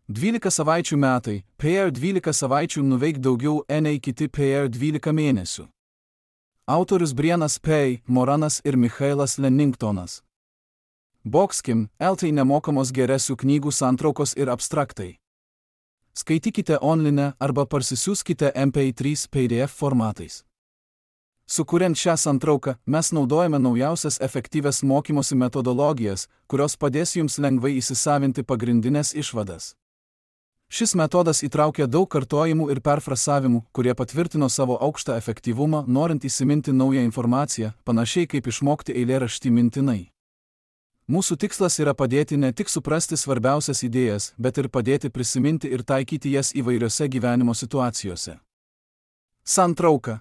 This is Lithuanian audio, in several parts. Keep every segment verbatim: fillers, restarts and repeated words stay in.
dvylika savaičių metai, per dvylika savaičių nuveik daugiau nei kiti per dvylika mėnesių. Autorius Brianas P. Moranas ir Michailas Lenningtonas. Boxkim, eltai nemokamos geresių knygų santraukos ir abstraktai. Skaitykite online arba parsisiųskite M P trys P D F formatais. Sukuriant šią santrauką, mes naudojame naujausias efektyvias mokymosi metodologijas, kurios padės jums lengvai įsisavinti pagrindinės išvadas. Šis metodas įtraukia daug kartojimų ir perfrasavimų, kurie patvirtino savo aukštą efektyvumą, norint įsiminti naują informaciją, panašiai kaip išmokti eilėraštį mintinai. Mūsų tikslas yra padėti ne tik suprasti svarbiausias idėjas, bet ir padėti prisiminti ir taikyti jas įvairiose gyvenimo situacijose. Santrauka.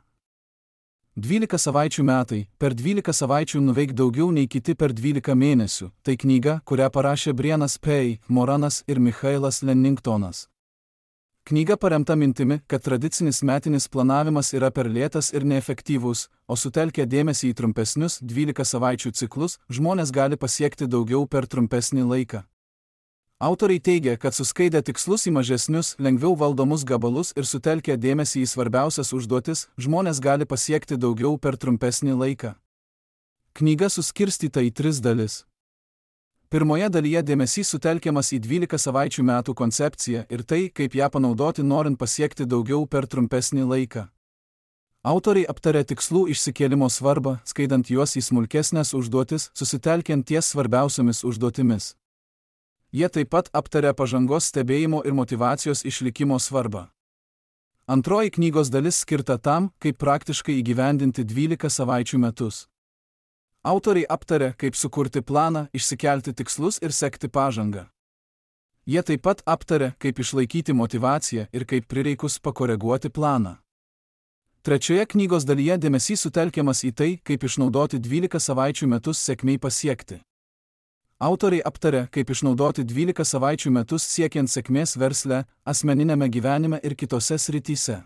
dvylika savaičių metai, per dvylika savaičių nuveik daugiau nei kiti per dvylika mėnesių. Tai knyga, kurią parašė Brianas P. Moranas ir Michailas Lenningtonas. Knyga paremta mintimi, kad tradicinis metinis planavimas yra per lėtas ir neefektyvus, o sutelkę dėmesį į trumpesnius dvylika savaičių ciklus, žmonės gali pasiekti daugiau per trumpesnį laiką. Autoriai teigia, kad suskaidę tikslus į mažesnius, lengviau valdomus gabalus ir sutelkę dėmesį į svarbiausias užduotis, žmonės gali pasiekti daugiau per trumpesnį laiką. Knyga suskirstyta į tris dalis. Pirmoje dalyje dėmesys sutelkiamas į dvylika savaičių metų koncepciją ir tai, kaip ją panaudoti norint pasiekti daugiau per trumpesnį laiką. Autoriai aptarė tikslų išsikėlimo svarbą, skaidant juos į smulkesnės užduotis, susitelkiant ties svarbiausiomis užduotimis. Jie taip pat aptarė pažangos stebėjimo ir motyvacijos išlikimo svarbą. Antroji knygos dalis skirta tam, kaip praktiškai įgyvendinti dvylika savaičių metus. Autoriai aptarė, kaip sukurti planą, išsikelti tikslus ir sekti pažangą. Jie taip pat aptarė, kaip išlaikyti motyvaciją ir kaip prireikus pakoreguoti planą. Trečioje knygos dalyje dėmesys sutelkiamas į tai, kaip išnaudoti dvylika savaičių metus sėkmei pasiekti. Autoriai aptarė, kaip išnaudoti dvylika savaičių metus siekiant sėkmės versle, asmeninėme gyvenime ir kitose srityse.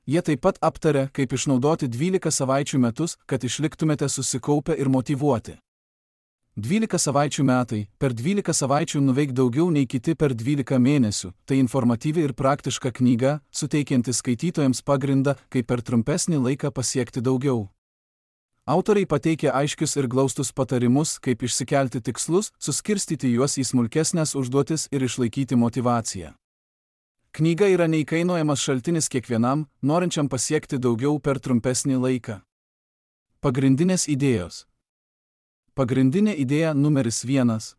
Jie taip pat aptarė, kaip išnaudoti dvylika savaičių metus, kad išliktumėte susikaupę ir motyvuoti. dvylika savaičių metai, per dvylika savaičių nuveik daugiau nei kiti per dvylika mėnesių, tai informatyvi ir praktiška knyga, suteikianti skaitytojams pagrindą, kaip per trumpesnį laiką pasiekti daugiau. Autoriai pateikė aiškius ir glaustus patarimus, kaip išsikelti tikslus, suskirstyti juos į smulkesnės užduotis ir išlaikyti motyvaciją. Knyga yra neįkainojamas šaltinis kiekvienam, norinčiam pasiekti daugiau per trumpesnį laiką. Pagrindinės idėjos. Pagrindinė idėja numeris vienas.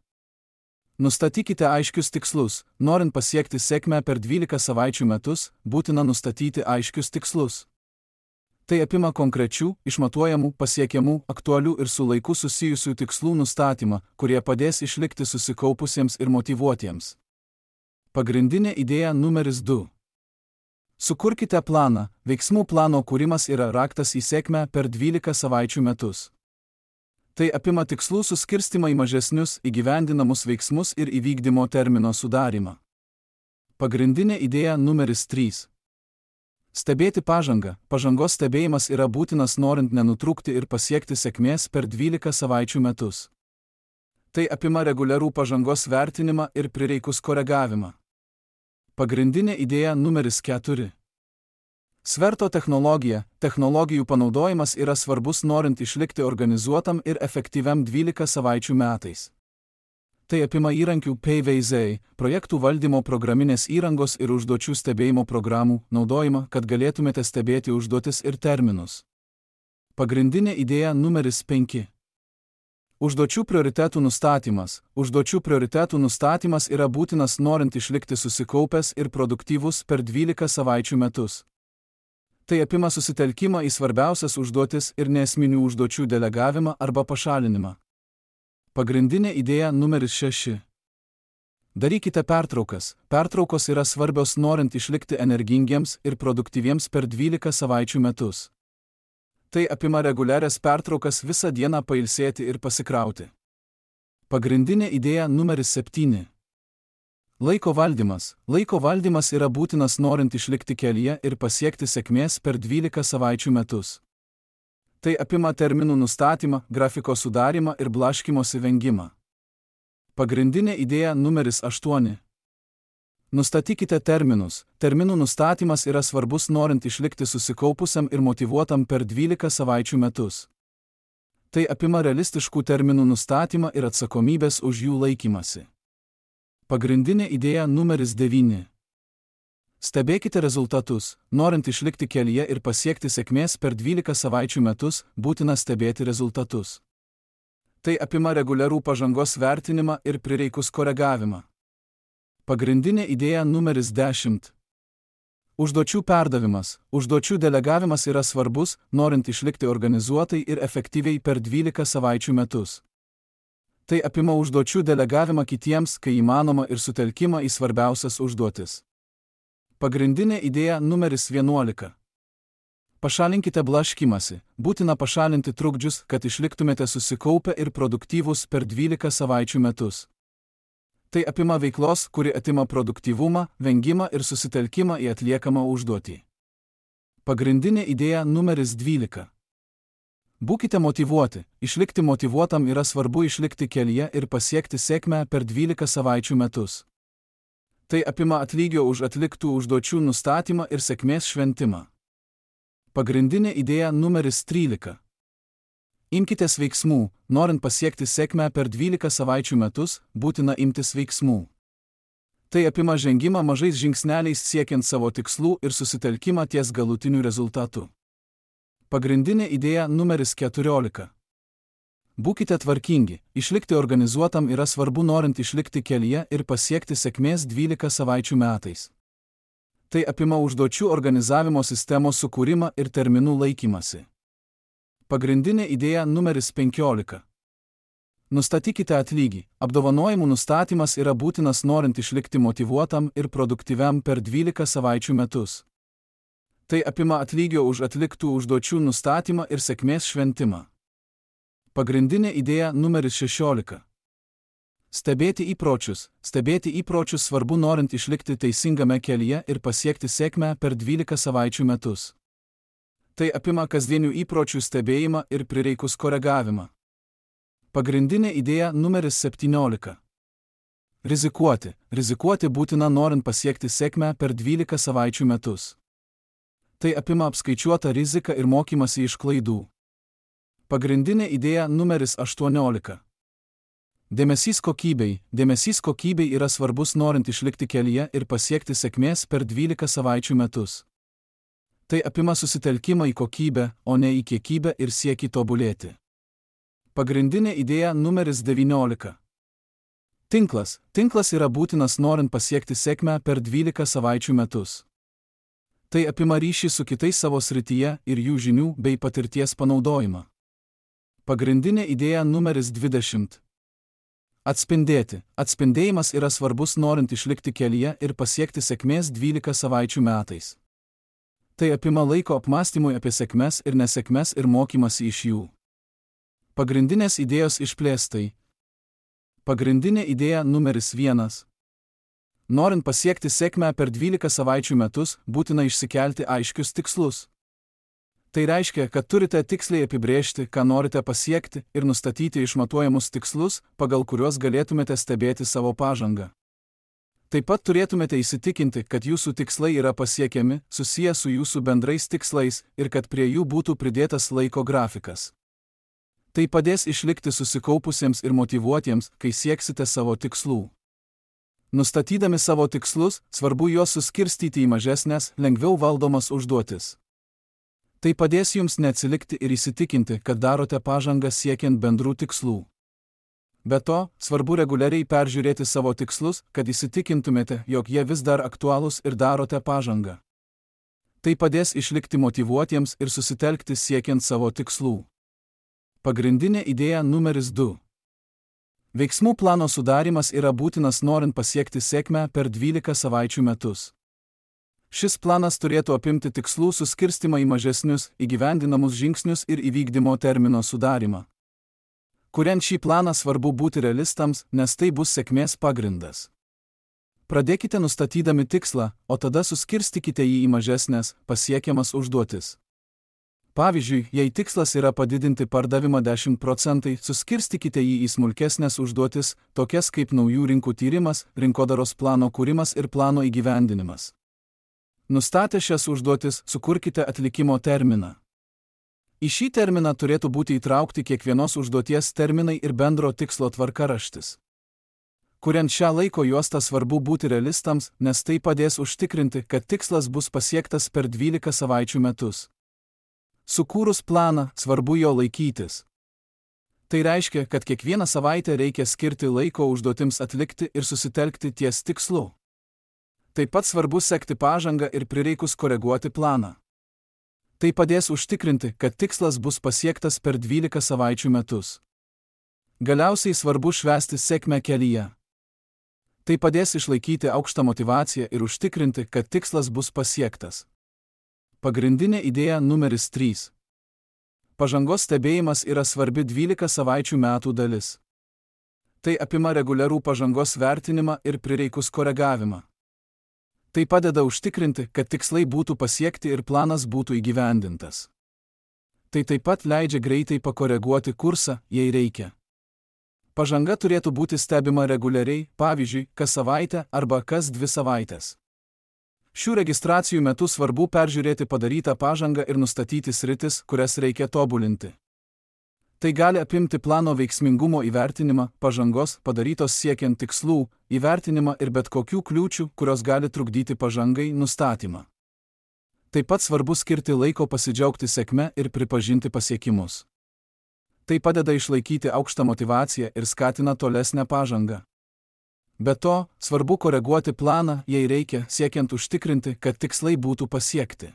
Nustatykite aiškius tikslus. Norint pasiekti sėkmę per dvylika savaičių metus, būtina nustatyti aiškius tikslus. Tai apima konkrečių, išmatuojamų, pasiekiamų, aktualių ir su laiku susijusių tikslų nustatymą, kurie padės išlikti susikaupusiems ir motyvuotiems. Pagrindinė idėja numeris du. Sukurkite planą. Veiksmų plano kūrimas yra raktas į sėkmę per dvylika savaičių metus. Tai apima tikslų suskirstimą į mažesnius, įgyvendinamus veiksmus ir įvykdymo termino sudarimą. Pagrindinė idėja numeris trys. Stebėti pažangą. Pažangos stebėjimas yra būtinas norint nenutrūkti ir pasiekti sėkmės per dvylika savaičių metus. Tai apima reguliarų pažangos vertinimą ir prireikus koregavimą. Pagrindinė idėja numeris keturi. Sverto technologija. Technologijų panaudojimas yra svarbus norint išlikti organizuotam ir efektyviam dvylika savaičių metais. Tai apima įrankių P V Z, projektų valdymo programinės įrangos ir užduočių stebėjimo programų naudojimą, kad galėtumėte stebėti užduotis ir terminus. Pagrindinė idėja numeris penki. Užduočių prioritetų nustatymas. Užduočių prioritetų nustatymas yra būtinas norint išlikti susikaupęs ir produktyvus per dvylika savaičių metus. Tai apima susitelkimą į svarbiausias užduotis ir neesminių užduočių delegavimą arba pašalinimą. Pagrindinė idėja numeris šeši. Darykite pertraukas. Pertraukos yra svarbios norint išlikti energingiems ir produktyviems per dvylika savaičių metus. Tai apima reguliarias pertraukas visą dieną pailsėti ir pasikrauti. Pagrindinė idėja numeris septyni. Laiko valdymas. Laiko valdymas yra būtinas norint išlikti kelyje ir pasiekti sėkmės per dvylika savaičių metus. Tai apima terminų nustatymą, grafiko sudarimą ir blaškymosi vengimą. Pagrindinė idėja numeris aštuoni. Nustatykite terminus. Terminų nustatymas yra svarbus norint išlikti susikaupusiam ir motyvuotam per dvylika savaičių metus. Tai apima realistiškų terminų nustatymą ir atsakomybės už jų laikymasi. Pagrindinė idėja numeris devyni. Stebėkite rezultatus. Norint išlikti kelyje ir pasiekti sėkmės per dvylika savaičių metus, būtina stebėti rezultatus. Tai apima reguliarų pažangos vertinimą ir prireikus koregavimą. Pagrindinė idėja numeris dešimt. Užduočių perdavimas. Užduočių delegavimas yra svarbus, norint išlikti organizuotai ir efektyviai per dvylika savaičių metus. Tai apima užduočių delegavimą kitiems, kai įmanoma, ir sutelkimą į svarbiausias užduotis. Pagrindinė idėja numeris vienuolika. Pašalinkite blaškymąsi. Būtina pašalinti trukdžius, kad išliktumėte susikaupę ir produktyvūs per dvylika savaičių metus. Tai apima veiklos, kuri atima produktyvumą, vengimą ir susitelkimą į atliekamą užduotį. Pagrindinė idėja numeris dvylika. Būkite motyvuoti. Išlikti motyvuotam yra svarbu išlikti kelyje ir pasiekti sėkmę per dvylika savaičių metus. Tai apima atlygio už atliktų užduočių nustatymą ir sėkmės šventimą. Pagrindinė idėja numeris trylika. Imkitės veiksmų. Norint pasiekti sėkmę per dvylika savaičių metus, būtina imtis veiksmų. Tai apima žengimą mažais žingsneliais siekiant savo tikslų ir susitelkimą ties galutiniu rezultatu. Pagrindinė idėja numeris keturiolika. Būkite tvarkingi. Išlikti organizuotam yra svarbu norint išlikti kelyje ir pasiekti sėkmės dvylika savaičių metais. Tai apima užduočių organizavimo sistemos sukūrimą ir terminų laikymasi. Pagrindinė idėja numeris penkiolika. Nustatykite atlygį. Apdovanojimų nustatymas yra būtinas norint išlikti motyvuotam ir produktyviam per dvylika savaičių metus. Tai apima atlygio už atliktų užduočių nustatymą ir sėkmės šventimą. Pagrindinė idėja numeris šešiolika. Stebėti įpročius. Stebėti įpročius svarbu norint išlikti teisingame kelyje ir pasiekti sėkmę per dvylika savaičių metus. Tai apima kasdienių įpročių stebėjimą ir prireikus koregavimą. Pagrindinė idėja numeris septyniolika. Rizikuoti. Rizikuoti būtina norint pasiekti sėkmę per dvylika savaičių metus. Tai apima apskaičiuotą riziką ir mokymasi iš klaidų. Pagrindinė idėja numeris aštuoniolika. Dėmesys kokybei. Dėmesys kokybei yra svarbus norint išlikti kelyje ir pasiekti sėkmės per dvylika savaičių metus. Tai apima susitelkimą į kokybę, o ne į kiekybę ir siekį tobulėti. Pagrindinė idėja numeris devyniolika. Tinklas. Tinklas yra būtinas norint pasiekti sėkmę per dvylika savaičių metus. Tai apima ryšį su kitais savo srityje ir jų žinių bei patirties panaudojimą. Pagrindinė idėja numeris dvidešimt. Atspindėti. Atspindėjimas yra svarbus norint išlikti kelyje ir pasiekti sėkmės dvylika savaičių metais. Tai apima laiko apmąstymui apie sėkmes ir nesėkmes ir mokymasi iš jų. Pagrindinės idėjos išplėstai. Pagrindinė idėja numeris vienas. Norint pasiekti sėkmę per dvylika savaičių metus, būtina išsikelti aiškius tikslus. Tai reiškia, kad turite tiksliai apibrėžti, ką norite pasiekti ir nustatyti išmatuojamus tikslus, pagal kuriuos galėtumėte stebėti savo pažangą. Taip pat turėtumėte įsitikinti, kad jūsų tikslai yra pasiekiami, susiję su jūsų bendrais tikslais ir kad prie jų būtų pridėtas laiko grafikas. Tai padės išlikti susikaupusiems ir motyvuotiems, kai sieksite savo tikslų. Nustatydami savo tikslus, svarbu juos suskirstyti į mažesnės, lengviau valdomas užduotis. Tai padės jums neatsilikti ir įsitikinti, kad darote pažangą siekiant bendrų tikslų. Be to, svarbu reguliariai peržiūrėti savo tikslus, kad įsitikintumėte, jog jie vis dar aktualūs ir darote pažangą. Tai padės išlikti motyvuotiems ir susitelkti siekiant savo tikslų. Pagrindinė idėja numeris du. Veiksmų plano sudarimas yra būtinas norint pasiekti sėkmę per dvylika savaičių metus. Šis planas turėtų apimti tikslų suskirstimą į mažesnius, įgyvendinamus žingsnius ir įvykdymo termino sudarimą. Kuriant šį planą svarbu būti realistams, nes tai bus sėkmės pagrindas. Pradėkite nustatydami tikslą, o tada suskirstykite jį į mažesnės, pasiekiamas užduotis. Pavyzdžiui, jei tikslas yra padidinti pardavimą dešimt procentų, suskirstykite jį į smulkesnės užduotis, tokias kaip naujų rinkų tyrimas, rinkodaros plano kūrimas ir plano įgyvendinimas. Nustatę šias užduotis, sukurkite atlikimo terminą. Į šį terminą turėtų būti įtraukti kiekvienos užduoties terminai ir bendro tikslo tvarkaraštis. Kuriant šią laiko juostą svarbu būti realistams, nes tai padės užtikrinti, kad tikslas bus pasiektas per dvylika savaičių metus. Sukūrus planą, svarbu jo laikytis. Tai reiškia, kad kiekvieną savaitę reikia skirti laiko užduotims atlikti ir susitelkti ties tikslu. Taip pat svarbu sekti pažangą ir prireikus koreguoti planą. Tai padės užtikrinti, kad tikslas bus pasiektas per dvylika savaičių metus. Galiausiai svarbu švęsti sėkmę kelyje. Tai padės išlaikyti aukštą motyvaciją ir užtikrinti, kad tikslas bus pasiektas. Pagrindinė idėja numeris trys. Pažangos stebėjimas yra svarbi dvylika savaičių metų dalis. Tai apima reguliarų pažangos vertinimą ir prireikus koregavimą. Tai padeda užtikrinti, kad tikslai būtų pasiekti ir planas būtų įgyvendintas. Tai taip pat leidžia greitai pakoreguoti kursą, jei reikia. Pažanga turėtų būti stebima reguliariai, pavyzdžiui, kas savaitę arba kas dvi savaitės. Šių registracijų metu svarbu peržiūrėti padarytą pažangą ir nustatyti sritis, kurias reikia tobulinti. Tai gali apimti plano veiksmingumo įvertinimą, pažangos, padarytos siekiant tikslų, įvertinimą ir bet kokių kliūčių, kurios gali trukdyti pažangai, nustatymą. Taip pat svarbu skirti laiko pasidžiaugti sėkme ir pripažinti pasiekimus. Tai padeda išlaikyti aukštą motyvaciją ir skatina tolesnę pažangą. Be to, svarbu koreguoti planą, jei reikia, siekiant užtikrinti, kad tikslai būtų pasiekti.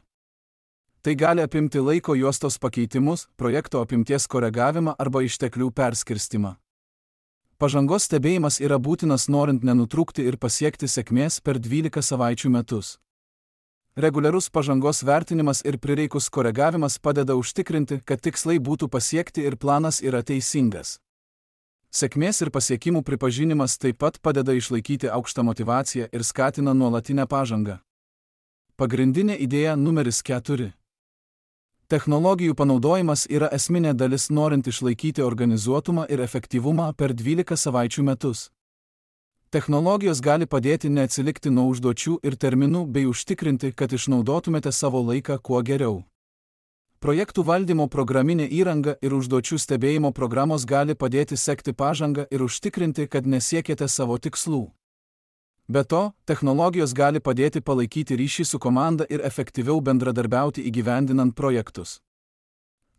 Tai gali apimti laiko juostos pakeitimus, projekto apimties koregavimą arba išteklių perskirstimą. Pažangos stebėjimas yra būtinas norint nenutrūkti ir pasiekti sėkmės per dvylika savaičių metus. Reguliarus pažangos vertinimas ir prireikus koregavimas padeda užtikrinti, kad tikslai būtų pasiekti ir planas yra teisingas. Sėkmės ir pasiekimų pripažinimas taip pat padeda išlaikyti aukštą motyvaciją ir skatina nuolatinę pažangą. Pagrindinė idėja numeris keturi. Technologijų panaudojimas yra esminė dalis norint išlaikyti organizuotumą ir efektyvumą per dvylika savaičių metus. Technologijos gali padėti neatsilikti nuo užduočių ir terminų bei užtikrinti, kad išnaudotumėte savo laiką kuo geriau. Projektų valdymo programinė įranga ir užduočių stebėjimo programos gali padėti sekti pažangą ir užtikrinti, kad nesiekėte savo tikslų. Be to, technologijos gali padėti palaikyti ryšį su komanda ir efektyviau bendradarbiauti įgyvendinant projektus.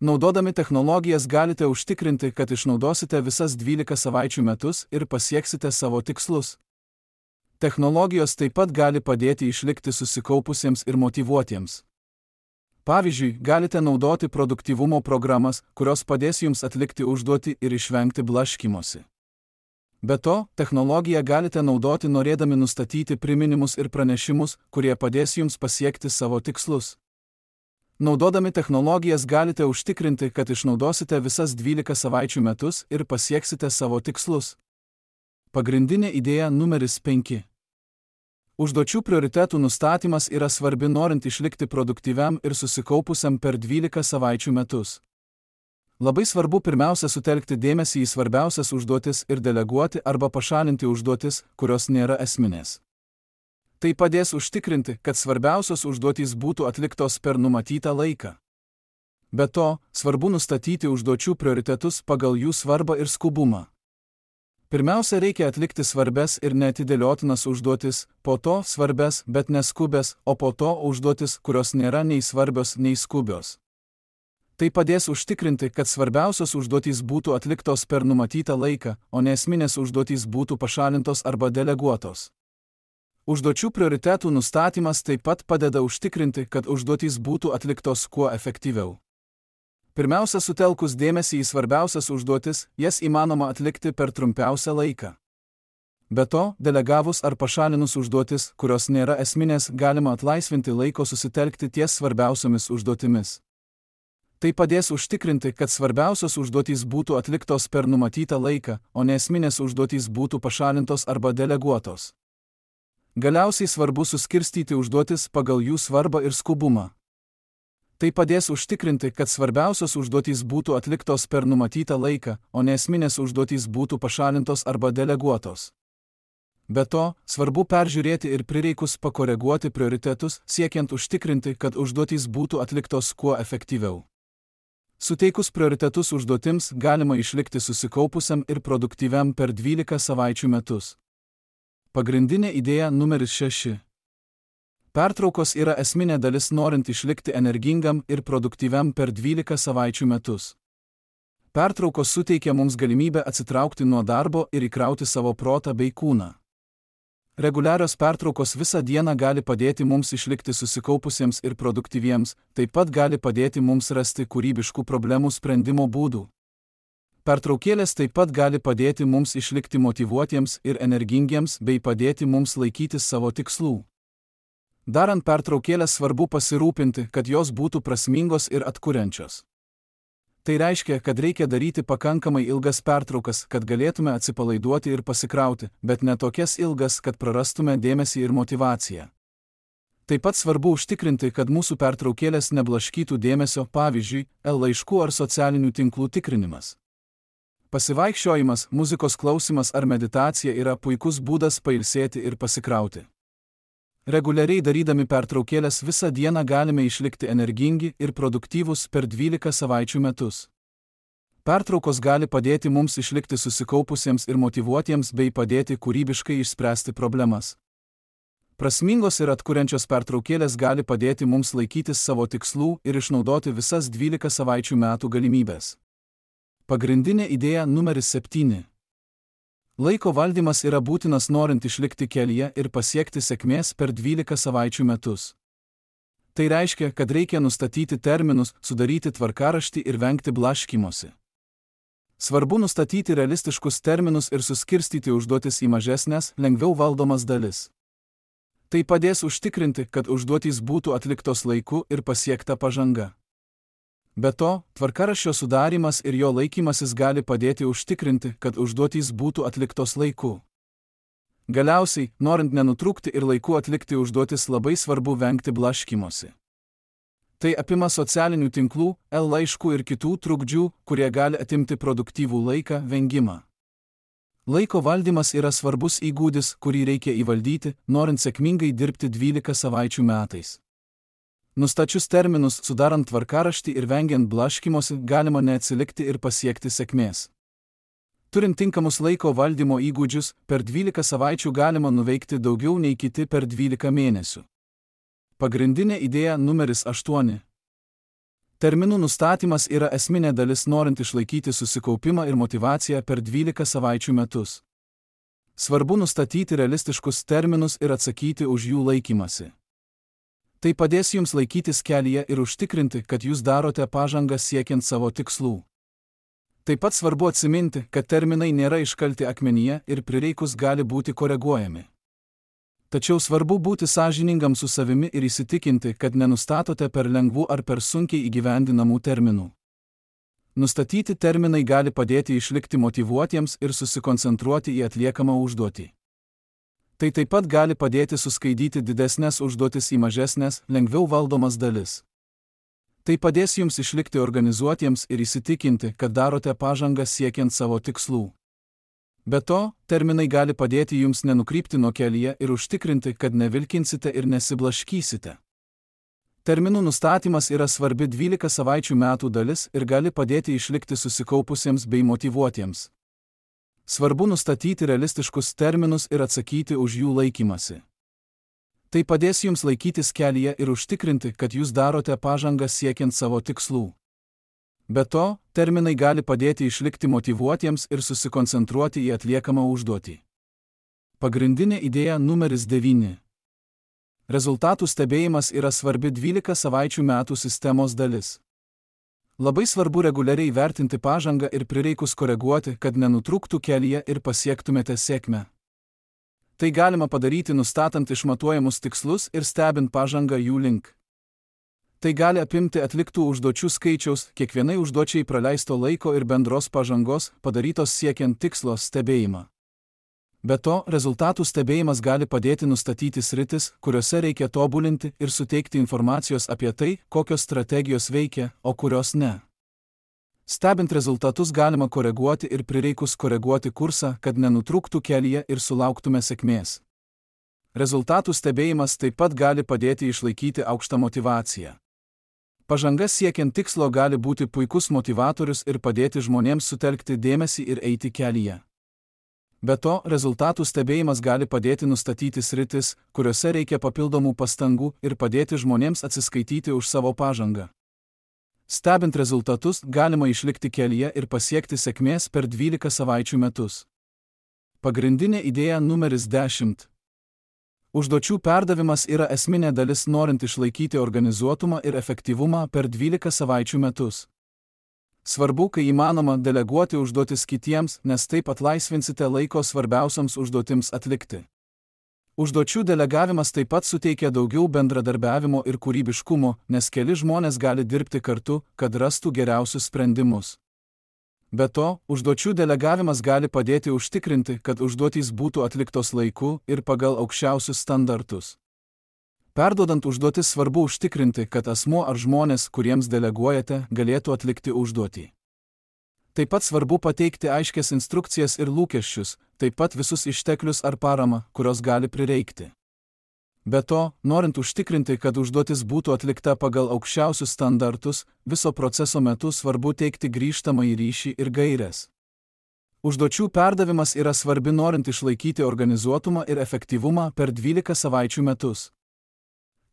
Naudodami technologijas galite užtikrinti, kad išnaudosite visas dvylika savaičių metus ir pasieksite savo tikslus. Technologijos taip pat gali padėti išlikti susikaupusiems ir motyvuotiems. Pavyzdžiui, galite naudoti produktyvumo programas, kurios padės jums atlikti užduotį ir išvengti blaškymosi. Be to, technologiją galite naudoti norėdami nustatyti priminimus ir pranešimus, kurie padės jums pasiekti savo tikslus. Naudodami technologijas galite užtikrinti, kad išnaudosite visas dvylika savaičių metus ir pasieksite savo tikslus. Pagrindinė idėja numeris penki. Užduočių prioritetų nustatymas yra svarbi norint išlikti produktyviam ir susikaupusiam per dvylika savaičių metus. Labai svarbu pirmiausia sutelkti dėmesį į svarbiausias užduotis ir deleguoti arba pašalinti užduotis, kurios nėra esminės. Tai padės užtikrinti, kad svarbiausios užduotys būtų atliktos per numatytą laiką. Be to, svarbu nustatyti užduočių prioritetus pagal jų svarbą ir skubumą. Pirmiausia, reikia atlikti svarbes ir neatidėliotinas užduotis, po to svarbes, bet neskubės, o po to užduotis, kurios nėra nei svarbios, nei skubios. Tai padės užtikrinti, kad svarbiausios užduotys būtų atliktos per numatytą laiką, o neesminės užduotys būtų pašalintos arba deleguotos. Užduočių prioritetų nustatymas taip pat padeda užtikrinti, kad užduotys būtų atliktos kuo efektyviau. Pirmiausia, sutelkus dėmesį į svarbiausias užduotis, jas įmanoma atlikti per trumpiausią laiką. Be to, delegavus ar pašalinus užduotis, kurios nėra esminės, galima atlaisvinti laiko susitelkti ties svarbiausiomis užduotimis. Tai padės užtikrinti, kad svarbiausios užduotys būtų atliktos per numatytą laiką, o neesminės užduotys būtų pašalintos arba deleguotos. Galiausiai svarbu suskirstyti užduotis pagal jų svarbą ir skubumą. Tai padės užtikrinti, kad svarbiausios užduotys būtų atliktos per numatytą laiką, o ne esminės užduotys būtų pašalintos arba deleguotos. Be to, svarbu peržiūrėti ir prireikus pakoreguoti prioritetus, siekiant užtikrinti, kad užduotys būtų atliktos kuo efektyviau. Suteikus prioritetus užduotims galima išlikti susikaupusiam ir produktyviam per dvylika savaičių metus. Pagrindinė idėja numeris šeši. Pertraukos yra esminė dalis norint išlikti energingam ir produktyviam per dvylika savaičių metus. Pertraukos suteikia mums galimybę atsitraukti nuo darbo ir įkrauti savo protą bei kūną. Reguliarios pertraukos visą dieną gali padėti mums išlikti susikaupusiems ir produktyviems, taip pat gali padėti mums rasti kūrybiškų problemų sprendimo būdų. Pertraukėlės taip pat gali padėti mums išlikti motyvuotiems ir energingiems bei padėti mums laikytis savo tikslų. Darant pertraukėlės svarbu pasirūpinti, kad jos būtų prasmingos ir atkuriančios. Tai reiškia, kad reikia daryti pakankamai ilgas pertraukas, kad galėtume atsipalaiduoti ir pasikrauti, bet ne tokias ilgas, kad prarastume dėmesį ir motyvaciją. Taip pat svarbu užtikrinti, kad mūsų pertraukėlės neblaškytų dėmesio, pavyzdžiui, e-laiškų ar socialinių tinklų tikrinimas. Pasivaikščiojimas, muzikos klausimas ar meditacija yra puikus būdas pailsėti ir pasikrauti. Reguliariai darydami pertraukėlės visą dieną galime išlikti energingi ir produktyvūs per dvylika savaičių metus. Pertraukos gali padėti mums išlikti susikaupusiems ir motyvuotiems bei padėti kūrybiškai išspręsti problemas. Prasmingos ir atkuriančios pertraukėlės gali padėti mums laikytis savo tikslų ir išnaudoti visas dvylika savaičių metų galimybės. Pagrindinė idėja numeris septyni. Laiko valdymas yra būtinas norint išlikti kelyje ir pasiekti sėkmės per dvylika savaičių metus. Tai reiškia, kad reikia nustatyti terminus, sudaryti tvarkaraštį ir vengti blaškymosi. Svarbu nustatyti realistiškus terminus ir suskirstyti užduotis į mažesnes, lengviau valdomas dalis. Tai padės užtikrinti, kad užduotys būtų atliktos laiku ir pasiekta pažanga. Be to, tvarkaraščio sudarimas ir jo laikymasis gali padėti užtikrinti, kad užduotys būtų atliktos laiku. Galiausiai, norint nenutrūkti ir laiku atlikti užduotis, labai svarbu vengti blaškymosi. Tai apima socialinių tinklų, e-laiškų ir kitų trukdžių, kurie gali atimti produktyvų laiką, vengimą. Laiko valdymas yra svarbus įgūdis, kurį reikia įvaldyti, norint sėkmingai dirbti dvylika savaičių metais. Nustačius terminus, sudarant tvarkaraštį ir vengiant blaškymosi, galima neatsilikti ir pasiekti sėkmės. Turint tinkamus laiko valdymo įgūdžius, per dvylika savaičių galima nuveikti daugiau nei kiti per dvylika mėnesių. Pagrindinė idėja numeris aštuoni. Terminų nustatymas yra esminė dalis norint išlaikyti susikaupimą ir motyvaciją per dvylika savaičių metus. Svarbu nustatyti realistiškus terminus ir atsakyti už jų laikymasi. Tai padės jums laikytis kelyje ir užtikrinti, kad jūs darote pažangą siekiant savo tikslų. Taip pat svarbu atsiminti, kad terminai nėra iškalti akmenyje ir prireikus gali būti koreguojami. Tačiau svarbu būti sąžiningam su savimi ir įsitikinti, kad nenustatote per lengvų ar per sunkiai įgyvendinamų terminų. Nustatyti terminai gali padėti išlikti motyvuotiems ir susikoncentruoti į atliekamą užduotį. Tai taip pat gali padėti suskaidyti didesnės užduotis į mažesnės, lengviau valdomas dalis. Tai padės jums išlikti organizuotiems ir įsitikinti, kad darote pažangą siekiant savo tikslų. Be to, terminai gali padėti jums nenukrypti nuo kelyje ir užtikrinti, kad nevilkinsite ir nesiblaškysite. Terminų nustatymas yra svarbi dvylika savaičių metų dalis ir gali padėti išlikti susikaupusiems bei motyvuotiems. Svarbu nustatyti realistiškus terminus ir atsakyti už jų laikymasi. Tai padės jums laikytis kelyje ir užtikrinti, kad jūs darote pažangą siekiant savo tikslų. Be to, terminai gali padėti išlikti motyvuotiems ir susikoncentruoti į atliekamą užduotį. Pagrindinė idėja numeris devyni. Rezultatų stebėjimas yra svarbi dvylika savaičių metų sistemos dalis. Labai svarbu reguliariai vertinti pažangą ir prireikus koreguoti, kad nenutrūktų kelyje ir pasiektumėte sėkmę. Tai galima padaryti nustatant išmatuojamus tikslus ir stebint pažangą jų link. Tai gali apimti atliktų užduočių skaičiaus, kiekvienai užduočiai praleisto laiko ir bendros pažangos, padarytos siekiant tikslo stebėjimą. Be to, rezultatų stebėjimas gali padėti nustatyti sritis, kuriuose reikia tobulinti ir suteikti informacijos apie tai, kokios strategijos veikia, o kurios ne. Stebint rezultatus galima koreguoti ir prireikus koreguoti kursą, kad nenutrūktų kelyje ir sulauktume sėkmės. Rezultatų stebėjimas taip pat gali padėti išlaikyti aukštą motyvaciją. Pažanga siekiant tikslo gali būti puikus motivatorius ir padėti žmonėms sutelkti dėmesį ir eiti kelyje. Be to, rezultatų stebėjimas gali padėti nustatyti sritis, kuriuose reikia papildomų pastangų ir padėti žmonėms atsiskaityti už savo pažangą. Stebint rezultatus, galima išlikti kelyje ir pasiekti sėkmės per dvylika savaičių metus. Pagrindinė idėja numeris dešimt. Užduočių perdavimas yra esminė dalis norint išlaikyti organizuotumą ir efektyvumą per dvylika savaičių metus. Svarbu, kai įmanoma, deleguoti užduotis kitiems, nes taip atlaisvinsite laiko svarbiausiams užduotims atlikti. Užduočių delegavimas taip pat suteikia daugiau bendradarbiavimo ir kūrybiškumo, nes keli žmonės gali dirbti kartu, kad rastų geriausius sprendimus. Be to, užduočių delegavimas gali padėti užtikrinti, kad užduotys būtų atliktos laiku ir pagal aukščiausius standartus. Perduodant užduotis svarbu užtikrinti, kad asmuo ar žmonės, kuriems deleguojate, galėtų atlikti užduotį. Taip pat svarbu pateikti aiškias instrukcijas ir lūkesčius, taip pat visus išteklius ar paramą, kurios gali prireikti. Be to, norint užtikrinti, kad užduotis būtų atlikta pagal aukščiausius standartus, viso proceso metu svarbu teikti grįžtamąjį ryšį ir gaires. Užduočių perdavimas yra svarbi norint išlaikyti organizuotumą ir efektyvumą per dvylika savaičių metus.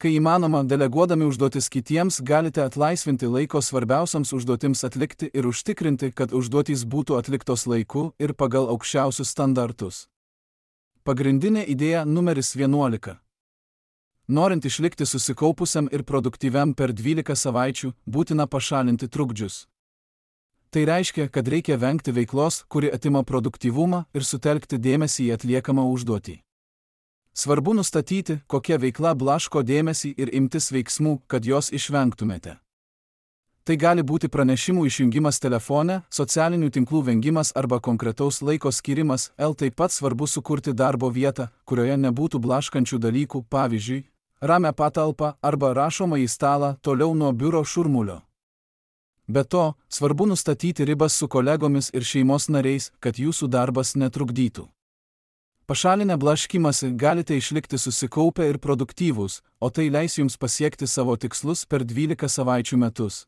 Kai įmanoma, deleguodami užduotis kitiems, galite atlaisvinti laiko svarbiausiams užduotims atlikti ir užtikrinti, kad užduotys būtų atliktos laiku ir pagal aukščiausius standartus. Pagrindinė idėja numeris vienuolika. Norint išlikti susikaupusiam ir produktyviam per dvylika savaičių, būtina pašalinti trukdžius. Tai reiškia, kad reikia vengti veiklos, kuri atima produktyvumą ir sutelkti dėmesį į atliekamą užduotį. Svarbu nustatyti, kokia veikla blaško dėmesį ir imtis veiksmų, kad jos išvengtumėte. Tai gali būti pranešimų išjungimas telefone, socialinių tinklų vengimas arba konkretaus laiko skirimas, el taip pat svarbu sukurti darbo vietą, kurioje nebūtų blaškančių dalykų, pavyzdžiui, ramią patalpą arba rašomąjį stalą toliau nuo biuro šurmulio. Be to, svarbu nustatyti ribas su kolegomis ir šeimos nariais, kad jūsų darbas netrukdytų. Pašalinę blaškymąsi galite išlikti susikaupę ir produktyvūs, o tai leis jums pasiekti savo tikslus per dvylika savaičių metus.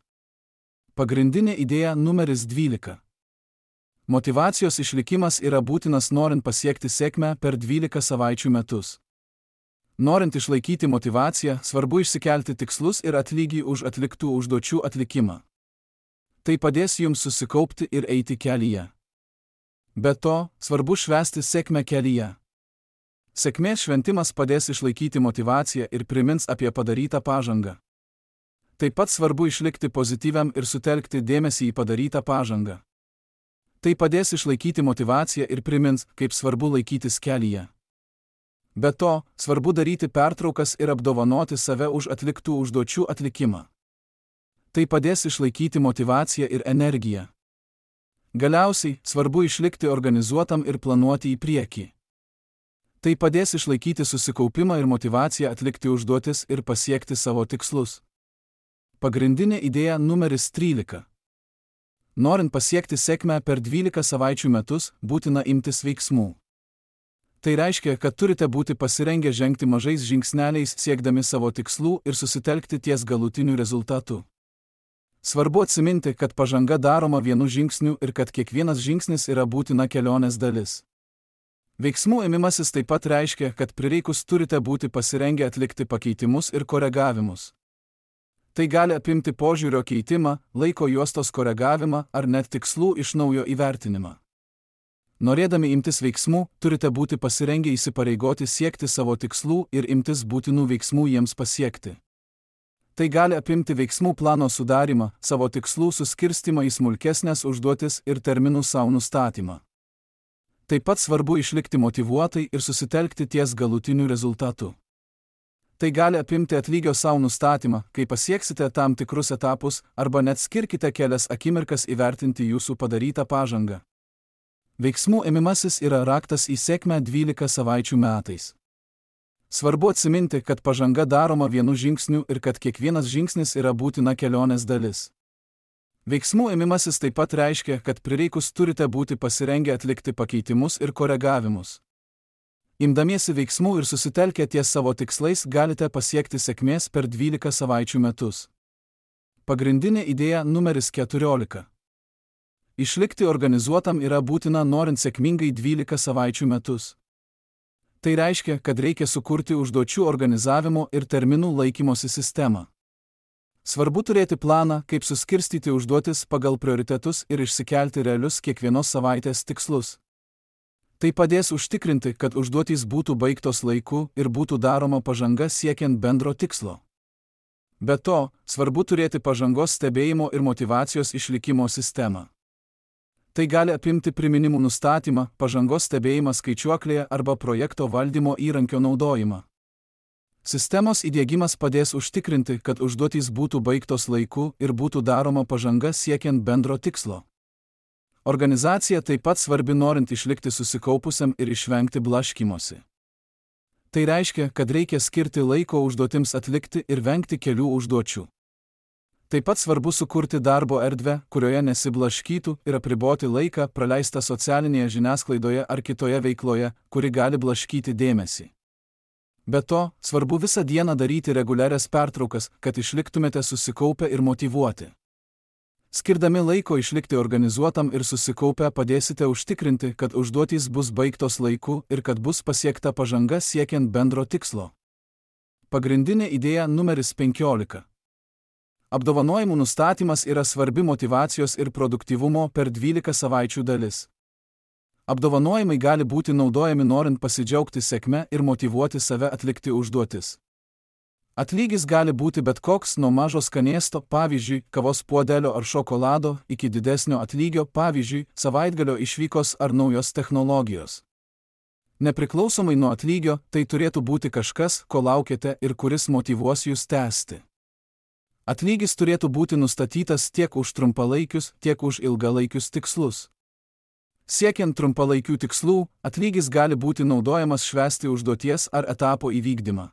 Pagrindinė idėja numeris dvylika. Motyvacijos išlikimas yra būtinas norint pasiekti sėkmę per dvylika savaičių metus. Norint išlaikyti motyvaciją, svarbu išsikelti tikslus ir atlygį už atliktų užduočių atlikimą. Tai padės jums susikaupti ir eiti kelyje. Be to, svarbu švęsti sėkmę kelyje. Sėkmės šventimas padės išlaikyti motyvaciją ir primins apie padarytą pažangą. Taip pat svarbu išlikti pozityviam ir sutelkti dėmesį į padarytą pažangą. Tai padės išlaikyti motyvaciją ir primins, kaip svarbu laikytis kelyje. Be to, svarbu daryti pertraukas ir apdovanoti save už atliktų užduočių atlikimą. Tai padės išlaikyti motyvaciją ir energiją. Galiausiai, svarbu išlikti organizuotam ir planuoti į priekį. Tai padės išlaikyti susikaupimą ir motyvaciją atlikti užduotis ir pasiekti savo tikslus. Pagrindinė idėja numeris trylika. Norint pasiekti sėkmę per dvylika savaičių metus, būtina imtis veiksmų. Tai reiškia, kad turite būti pasirengę žengti mažais žingsneliais siekdami savo tikslų ir susitelkti ties galutiniu rezultatu. Svarbu atsiminti, kad pažanga daroma vienu žingsniu ir kad kiekvienas žingsnis yra būtina kelionės dalis. Veiksmų ėmimasis taip pat reiškia, kad prireikus turite būti pasirengę atlikti pakeitimus ir koregavimus. Tai gali apimti požiūrio keitimą, laiko juostos koregavimą ar net tikslų iš naujo įvertinimą. Norėdami imtis veiksmų, turite būti pasirengę įsipareigoti siekti savo tikslų ir imtis būtinų veiksmų jiems pasiekti. Tai gali apimti veiksmų plano sudarimą, savo tikslų suskirstimą į smulkesnės užduotis ir terminų savo nustatymą. Taip pat svarbu išlikti motyvuotai ir susitelkti ties galutiniu rezultatu. Tai gali apimti atlygio savo nustatymą, kai pasieksite tam tikrus etapus, arba net skirkite kelias akimirkas įvertinti jūsų padarytą pažangą. Veiksmų ėmimasis yra raktas į sėkmę dvylika savaičių metais. Svarbu atsiminti, kad pažanga daroma vienu žingsniu ir kad kiekvienas žingsnis yra būtina kelionės dalis. Veiksmų ėmimasis taip pat reiškia, kad prireikus turite būti pasirengę atlikti pakeitimus ir koregavimus. Imdamiesi veiksmų ir susitelkę ties savo tikslais galite pasiekti sėkmės per dvylika savaičių metus. Pagrindinė idėja numeris keturiolika. Išlikti organizuotam yra būtina norint sėkmingai dvylika savaičių metus. Tai reiškia, kad reikia sukurti užduočių organizavimo ir terminų laikymosi sistemą. Svarbu turėti planą, kaip suskirstyti užduotis pagal prioritetus ir išsikelti realius kiekvienos savaitės tikslus. Tai padės užtikrinti, kad užduotys būtų baigtos laiku ir būtų daroma pažanga siekiant bendro tikslo. Be to, svarbu turėti pažangos stebėjimo ir motyvacijos išlikimo sistemą. Tai gali apimti priminimų nustatymą, pažangos stebėjimą skaičiuoklėje arba projekto valdymo įrankio naudojimą. Sistemos įdiegimas padės užtikrinti, kad užduotys būtų baigtos laiku ir būtų daroma pažanga siekiant bendro tikslo. Organizacija taip pat svarbi norint išlikti susikaupusiam ir išvengti blaškymosi. Tai reiškia, kad reikia skirti laiko užduotims atlikti ir vengti kelių užduočių. Taip pat svarbu sukurti darbo erdvę, kurioje nesiblaškytų ir apriboti laiką praleistą socialinėje žiniasklaidoje ar kitoje veikloje, kuri gali blaškyti dėmesį. Be to, svarbu visą dieną daryti reguliarias pertraukas, kad išliktumėte susikaupę ir motyvuoti. Skirdami laiko išlikti organizuotam ir susikaupę padėsite užtikrinti, kad užduotys bus baigtos laiku ir kad bus pasiekta pažanga siekiant bendro tikslo. Pagrindinė idėja numeris penkiolika. Apdovanojimų nustatymas yra svarbi motyvacijos ir produktyvumo per dvylika savaičių dalis. Apdovanojimai gali būti naudojami norint pasidžiaugti sėkme ir motyvuoti save atlikti užduotis. Atlygis gali būti bet koks nuo mažo skanėsto, pavyzdžiui, kavos puodelio ar šokolado, iki didesnio atlygio, pavyzdžiui, savaitgalio išvykos ar naujos technologijos. Nepriklausomai nuo atlygio, tai turėtų būti kažkas, ko laukiate ir kuris motyvuos jūs tęsti. Atlygis turėtų būti nustatytas tiek už trumpalaikius, tiek už ilgalaikius tikslus. Siekiant trumpalaikių tikslų, atlygis gali būti naudojamas švęsti užduoties ar etapo įvykdymą.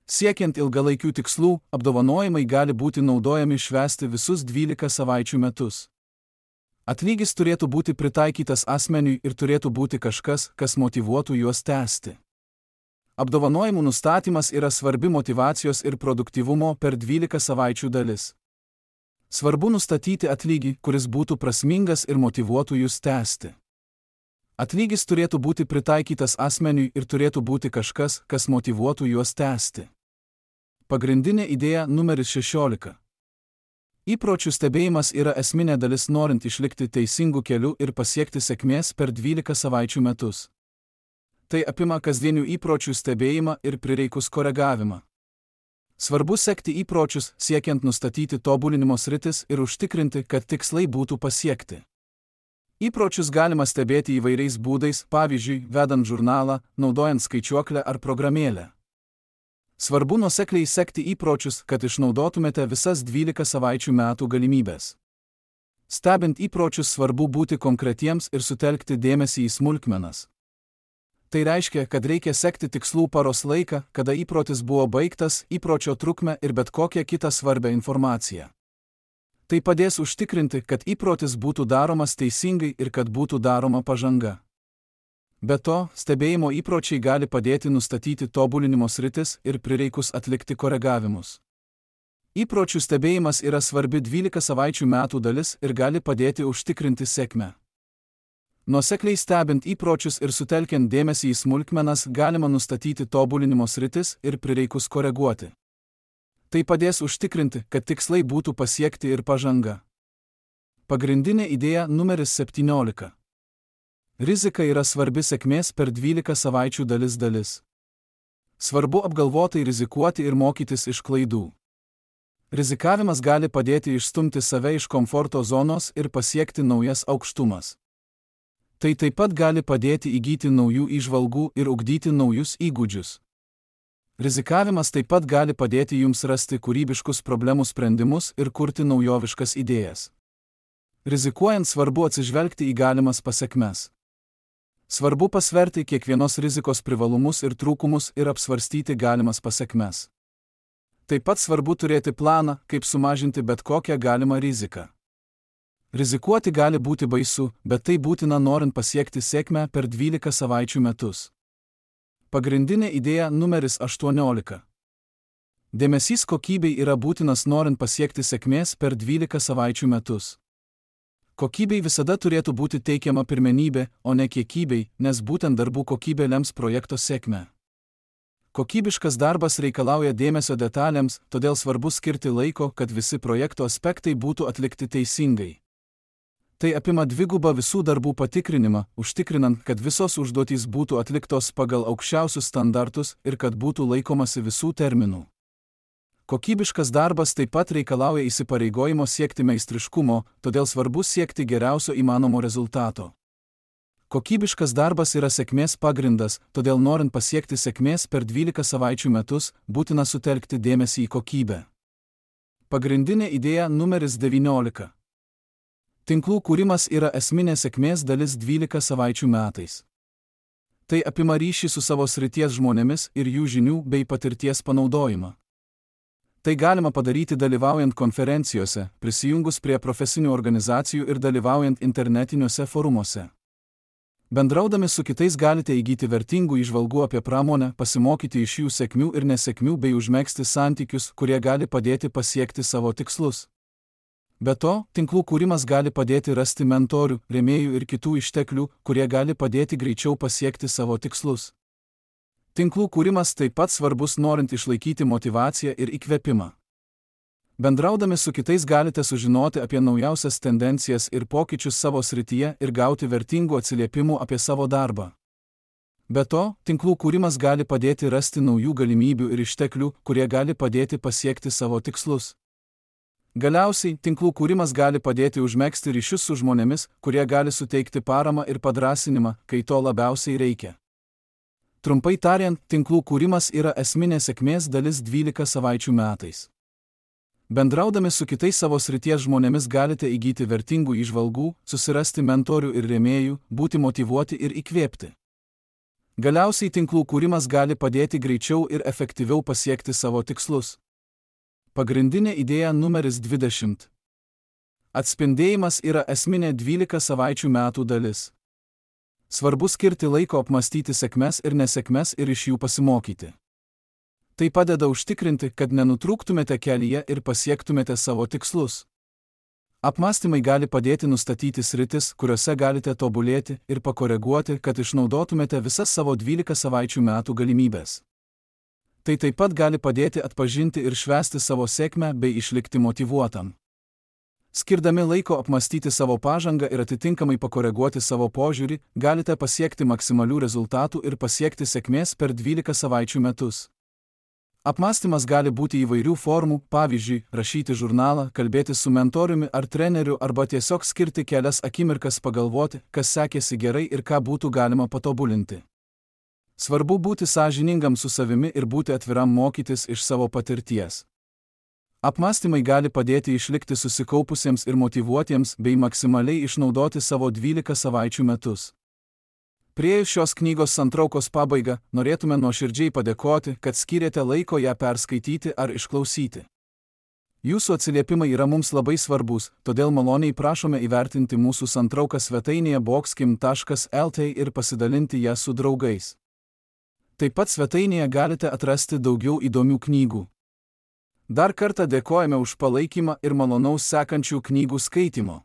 Siekiant ilgalaikių tikslų, apdovanojimai gali būti naudojami švęsti visus dvylika savaičių metus. Atlygis turėtų būti pritaikytas asmeniui ir turėtų būti kažkas, kas motyvuotų juos tęsti. Apdovanojimų nustatymas yra svarbi motyvacijos ir produktyvumo per dvylika savaičių dalis. Svarbu nustatyti atlygį, kuris būtų prasmingas ir motyvuotų jūs tęsti. Atlygis turėtų būti pritaikytas asmeniui ir turėtų būti kažkas, kas motyvuotų juos tęsti. Pagrindinė idėja numeris šešiolika. Įpročių stebėjimas yra esminė dalis norint išlikti teisingų kelių ir pasiekti sėkmės per dvylika savaičių metus. Tai apima kasdienių įpročių stebėjimą ir prireikus koregavimą. Svarbu sekti įpročius, siekiant nustatyti tobulinimo sritis ir užtikrinti, kad tikslai būtų pasiekti. Įpročius galima stebėti įvairiais būdais, pavyzdžiui, vedant žurnalą, naudojant skaičiuoklę ar programėlę. Svarbu nuosekliai sekti įpročius, kad išnaudotumėte visas dvylika savaičių metų galimybės. Stebint įpročius svarbu būti konkretiems ir sutelkti dėmesį į smulkmenas. Tai reiškia, kad reikia sekti tikslų paros laiką, kada įprotis buvo baigtas, įpročio trukmę ir bet kokią kitą svarbią informaciją. Tai padės užtikrinti, kad įprotis būtų daromas teisingai ir kad būtų daroma pažanga. Be to, stebėjimo įpročiai gali padėti nustatyti tobulinimo sritis ir prireikus atlikti koregavimus. Įpročių stebėjimas yra svarbi dvylika savaičių metų dalis ir gali padėti užtikrinti sėkmę. Nuosekliai stebint įpročius ir sutelkiant dėmesį į smulkmenas galima nustatyti tobulinimo sritis ir prireikus koreguoti. Tai padės užtikrinti, kad tikslai būtų pasiekti ir pažanga. Pagrindinė idėja numeris septyniolika. Rizika yra svarbi sėkmės per dvylika savaičių dalis dalis. Svarbu apgalvotai rizikuoti ir mokytis iš klaidų. Rizikavimas gali padėti išstumti save iš komforto zonos ir pasiekti naujas aukštumas. Tai taip pat gali padėti įgyti naujų įžvalgų ir ugdyti naujus įgūdžius. Rizikavimas taip pat gali padėti jums rasti kūrybiškus problemų sprendimus ir kurti naujoviškas idėjas. Rizikuojant svarbu atsižvelgti į galimas pasekmes. Svarbu pasverti kiekvienos rizikos privalumus ir trūkumus ir apsvarstyti galimas pasekmes. Taip pat svarbu turėti planą, kaip sumažinti bet kokią galimą riziką. Rizikuoti gali būti baisu, bet tai būtina norint pasiekti sėkmę per dvylika savaičių metus. Pagrindinė idėja numeris aštuoniolika. Dėmesys kokybei yra būtinas norint pasiekti sėkmės per dvylika savaičių metus. Kokybei visada turėtų būti teikiama pirmenybė, o ne kiekybei, nes būtent darbų kokybė lems projekto sėkmę. Kokybiškas darbas reikalauja dėmesio detalėms, todėl svarbu skirti laiko, kad visi projekto aspektai būtų atlikti teisingai. Tai apima dvigubą visų darbų patikrinimą, užtikrinant, kad visos užduotys būtų atliktos pagal aukščiausius standartus ir kad būtų laikomasi visų terminų. Kokybiškas darbas taip pat reikalauja įsipareigojimo siekti meistriškumo, todėl svarbu siekti geriausio įmanomo rezultato. Kokybiškas darbas yra sėkmės pagrindas, todėl norint pasiekti sėkmės per dvylika savaičių metus, būtina sutelkti dėmesį į kokybę. Pagrindinė idėja numeris devyniolika. Tinklų kūrimas yra esminė sėkmės dalis dvylika savaičių metais. Tai apima ryšį su savo srities žmonėmis ir jų žinių bei patirties panaudojimą. Tai galima padaryti dalyvaujant konferencijose, prisijungus prie profesinių organizacijų ir dalyvaujant internetiniuose forumuose. Bendraudami su kitais galite įgyti vertingų įžvalgų apie pramonę, pasimokyti iš jų sėkmių ir nesėkmių bei užmegzti santykius, kurie gali padėti pasiekti savo tikslus. Be to, tinklų kūrimas gali padėti rasti mentorių, rėmėjų ir kitų išteklių, kurie gali padėti greičiau pasiekti savo tikslus. Tinklų kūrimas taip pat svarbus norint išlaikyti motyvaciją ir įkvėpimą. Bendraudami su kitais galite sužinoti apie naujausias tendencijas ir pokyčius savo srityje ir gauti vertingų atsiliepimų apie savo darbą. Be to, tinklų kūrimas gali padėti rasti naujų galimybių ir išteklių, kurie gali padėti pasiekti savo tikslus. Galiausiai, tinklų kūrimas gali padėti užmegzti ryšius su žmonėmis, kurie gali suteikti paramą ir padrąsinimą, kai to labiausiai reikia. Trumpai tariant, tinklų kūrimas yra esminė sėkmės dalis dvylika savaičių metais. Bendraudami su kitais savo srities žmonėmis galite įgyti vertingų įžvalgų, susirasti mentorių ir rėmėjų, būti motyvuoti ir įkvėpti. Galiausiai tinklų kūrimas gali padėti greičiau ir efektyviau pasiekti savo tikslus. Pagrindinė idėja numeris dvidešimt. Atspindėjimas yra esminė dvylika savaičių metų dalis. Svarbu skirti laiko apmastyti sėkmes ir nesėkmes ir iš jų pasimokyti. Tai padeda užtikrinti, kad nenutrūktumėte kelyje ir pasiektumėte savo tikslus. Apmąstymai gali padėti nustatyti sritis, kuriuose galite tobulėti ir pakoreguoti, kad išnaudotumėte visas savo dvylika savaičių metų galimybės. Tai taip pat gali padėti atpažinti ir švęsti savo sėkmę bei išlikti motyvuotam. Skirdami laiko apmastyti savo pažangą ir atitinkamai pakoreguoti savo požiūrį, galite pasiekti maksimalių rezultatų ir pasiekti sėkmės per dvylika savaičių metus. Apmąstymas gali būti įvairių formų, pavyzdžiui, rašyti žurnalą, kalbėti su mentoriumi ar treneriu arba tiesiog skirti kelias akimirkas pagalvoti, kas sekėsi gerai ir ką būtų galima patobulinti. Svarbu būti sąžiningam su savimi ir būti atviram mokytis iš savo patirties. Apmąstymai gali padėti išlikti susikaupusiems ir motyvuotiems bei maksimaliai išnaudoti savo dvylika savaičių metus. Priėjus šios knygos santraukos pabaigą, norėtume nuoširdžiai padėkoti, kad skyrėte laiko ją perskaityti ar išklausyti. Jūsų atsiliepimai yra mums labai svarbus, todėl maloniai prašome įvertinti mūsų santrauką svetainėje boxkim taškas el t ir pasidalinti ją su draugais. Taip pat svetainėje galite atrasti daugiau įdomių knygų. Dar kartą dėkojame už palaikymą ir malonaus sekančių knygų skaitimo.